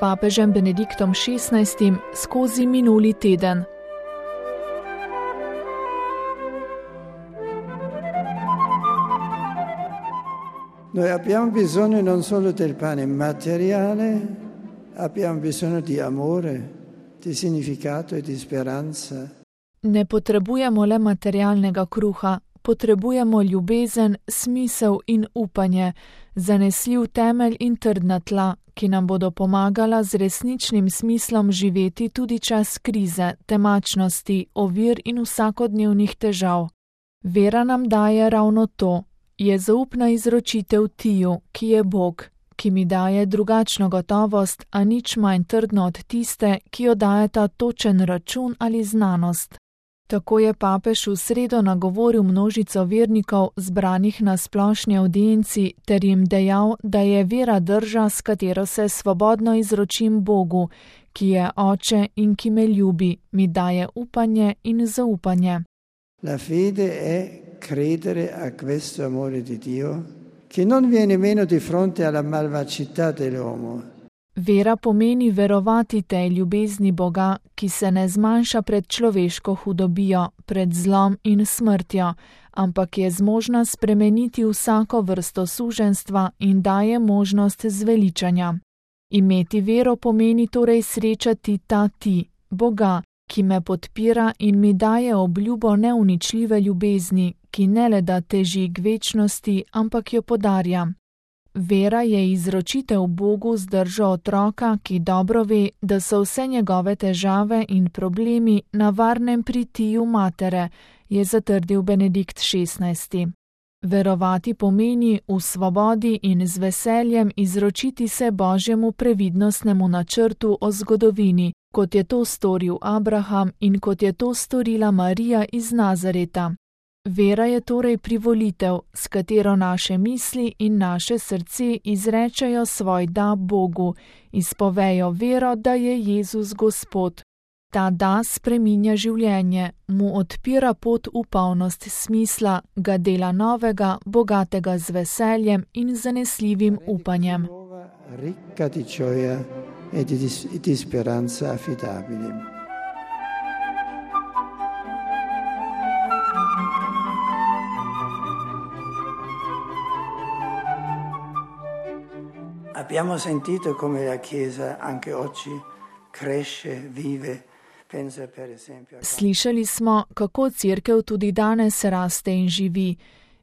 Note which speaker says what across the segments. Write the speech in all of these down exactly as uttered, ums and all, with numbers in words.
Speaker 1: papežem Benediktom šestnajstim skozi minuli teden.
Speaker 2: Noi abbiamo bisogno non solo del pane materiale, abbiamo bisogno di amore, di significato e di speranza.
Speaker 1: Ne potrebujemo le materialnega kruha, potrebujemo ljubezen, smisel in upanje, zanesljiv temelj in trdna tla, ki nam bodo pomagala z resničnim smislom živeti tudi čas krize, temačnosti, ovir in vsakodnevnih težav. Vera nam daje ravno to. Je zaupna izročitev Tiju, ki je Bog, ki mi daje drugačno gotovost, a nič manj trdno od tiste, ki jo dajeta točen račun ali znanost. Tako je papež v sredo nagovoril množico vernikov zbranih na splošni avdienci ter jim dejal, da je vera drža, s katero se svobodno izročim Bogu, ki je Oče in ki me ljubi, mi daje upanje in zaupanje.
Speaker 2: La fede è credere a questo amore di Dio, che non viene meno di fronte alla malvagità dell'uomo.
Speaker 1: Vera pomeni verovati tej ljubezni Boga, ki se ne zmanjša pred človeško hudobijo, pred zlom in smrtjo, ampak je zmožna spremeniti vsako vrsto suženjstva in daje možnost zveličanja. Imeti vero pomeni torej srečati ta Ti, Boga, ki me podpira in mi daje obljubo neuničljive ljubezni, ki ne le da teži k večnosti, ampak jo podarja. Vera je izročitev Bogu z držo otroka, ki dobro ve, da so vse njegove težave in problemi na varnem pri Tiju matere, je zatrdil Benedikt šestnajsti. Verovati pomeni v svobodi in z veseljem izročiti se Božjemu previdnostnemu načrtu o zgodovini, kot je to storil Abraham in kot je to storila Marija iz Nazareta. Vera je torej privolitev, s katero naše misli in naše srce izrečejo svoj da Bogu, izpovejo vero, da je Jezus Gospod. Ta da spreminja življenje, mu odpira pot v polnost smisla, ga dela novega, bogatega z veseljem in zanesljivim upanjem.
Speaker 2: Ricca di gioia e di, di speranza affidabile. Abbiamo sentito come la Chiesa anche oggi cresce, vive.
Speaker 1: Slišali smo, kako cerkev tudi danes raste in živi.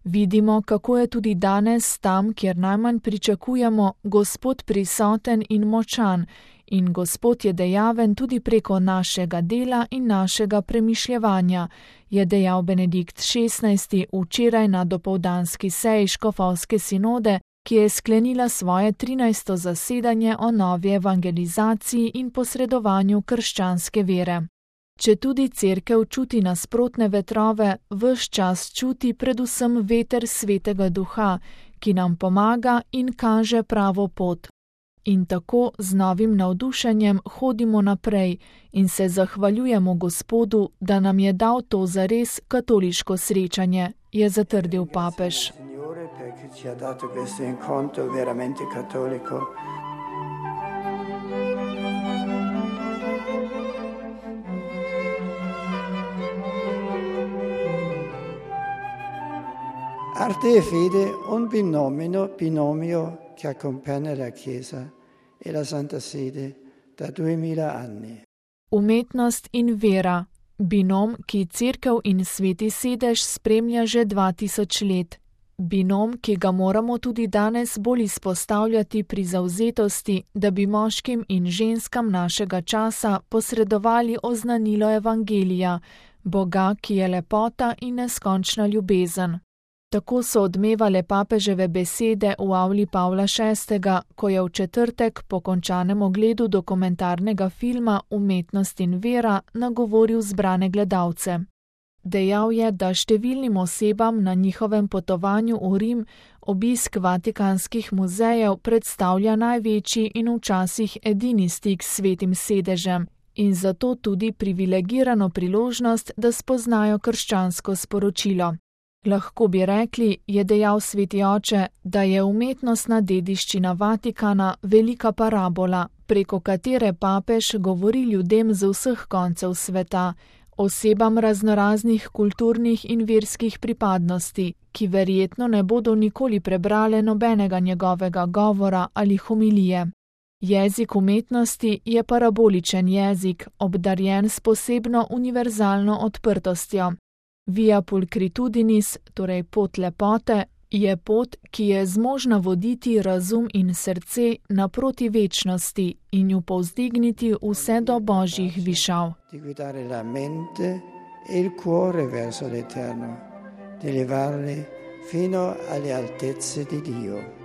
Speaker 1: Vidimo, kako je tudi danes tam, kjer najmanj pričakujemo, Gospod prisoten in močan, in Gospod je dejaven tudi preko našega dela in našega premišljevanja, je dejal Benedikt šestnajsti včeraj na dopoldanski seji škofovske sinode, ki je sklenila svoje trinajsto zasedanje o novi evangelizaciji in posredovanju krščanske vere. Če tudi cerkev čuti nasprotne vetrove, ves čas čuti predvsem veter Svetega Duha, ki nam pomaga in kaže pravo pot. In tako z novim navdušenjem hodimo naprej in se zahvaljujemo Gospodu, da nam je dal to zares katoliško srečanje, je zatrdil papež.
Speaker 2: Che ci ha dato questo incontro veramente cattolico. Arte e fede, un binomio, binomio che accompagna la Chiesa e la Santa Sede da duemila anni.
Speaker 1: Umetnost in vera, binom, ki cerkev in sveti sedež spremlja že dva tisoč let. Binom, ki ga moramo tudi danes bolj izpostavljati pri zavzetosti, da bi moškim in ženskam našega časa posredovali oznanilo Evangelija, Boga, ki je lepota in neskončna ljubezen. Tako so odmevale papeževe besede v avli Pavla šestega, ko je v četrtek po končanem ogledu dokumentarnega filma Umetnost in vera nagovoril zbrane gledalce. Dejal je, da številnim osebam na njihovem potovanju v Rim obisk vatikanskih muzejev predstavlja največji in včasih edini stik s svetim sedežem in zato tudi privilegirano priložnost, da spoznajo krščansko sporočilo. Lahko bi rekli, je dejal sveti oče, da je umetnostna dediščina Vatikana velika parabola, preko katere papež govori ljudem z vseh koncev sveta, osebam raznoraznih kulturnih in verskih pripadnosti, ki verjetno ne bodo nikoli prebrale nobenega njegovega govora ali homilije. Jezik umetnosti je paraboličen jezik, obdarjen s posebno univerzalno odprtostjo. Via pulcritudinis, torej pot lepote, je pot, ki je zmožna voditi razum in srce naproti večnosti in ju povzdigniti vse do božjih višav.
Speaker 2: Di guidare la mente e il cuore verso l'eterno, di elevarli fino alle altezze di Dio.